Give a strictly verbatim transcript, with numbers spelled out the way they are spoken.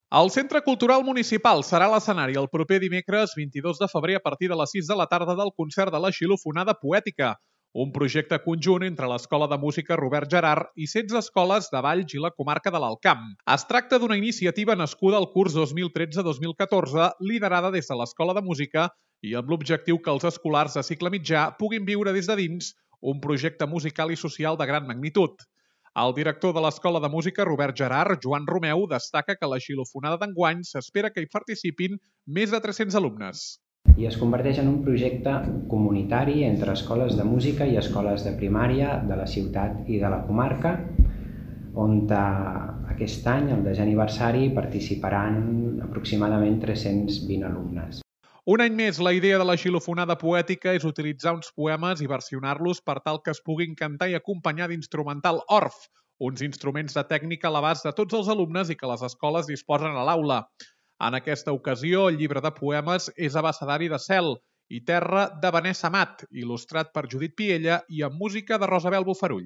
El Centre Cultural Municipal serà l'escenari el proper dimecres vint-i-dos de febrer a partir de les sis de la tarda del concert de la Xilofonada Poètica, un projecte conjunt entre l'Escola de Música Robert Gerhard i setze escoles de Valls i la comarca de l'Alt Camp. Es tracta d'una iniciativa nascuda al curs dos mil tretze dos mil catorze, liderada des de l'Escola de Música i amb l'objectiu que els escolars de cicle mitjà puguin viure des de dins un projecte musical i social de gran magnitud. El director de l'Escola de Música Robert Gerhard, Joan Romeu, destaca que a la Xilofonada d'enguany s'espera que hi participin més de tres-cents alumnes. I es converteix en un projecte comunitari entre escoles de música i escoles de primària de la ciutat i de la comarca, on aquest any, el desè aniversari, participaran aproximadament tres-cents vint alumnes. Un any més, la idea de la Xilofonada Poètica és utilitzar uns poemes i versionar-los per tal que es puguin cantar i acompanyar d'instrumental orf, uns instruments de tècnica a l'abast de tots els alumnes i que les escoles disposen a l'aula. En aquesta ocasió, el llibre de poemes és Abecedari de cel i terra de Vanessa Amat, il·lustrat per Judit Piella i amb música de Rosabel Bofarull.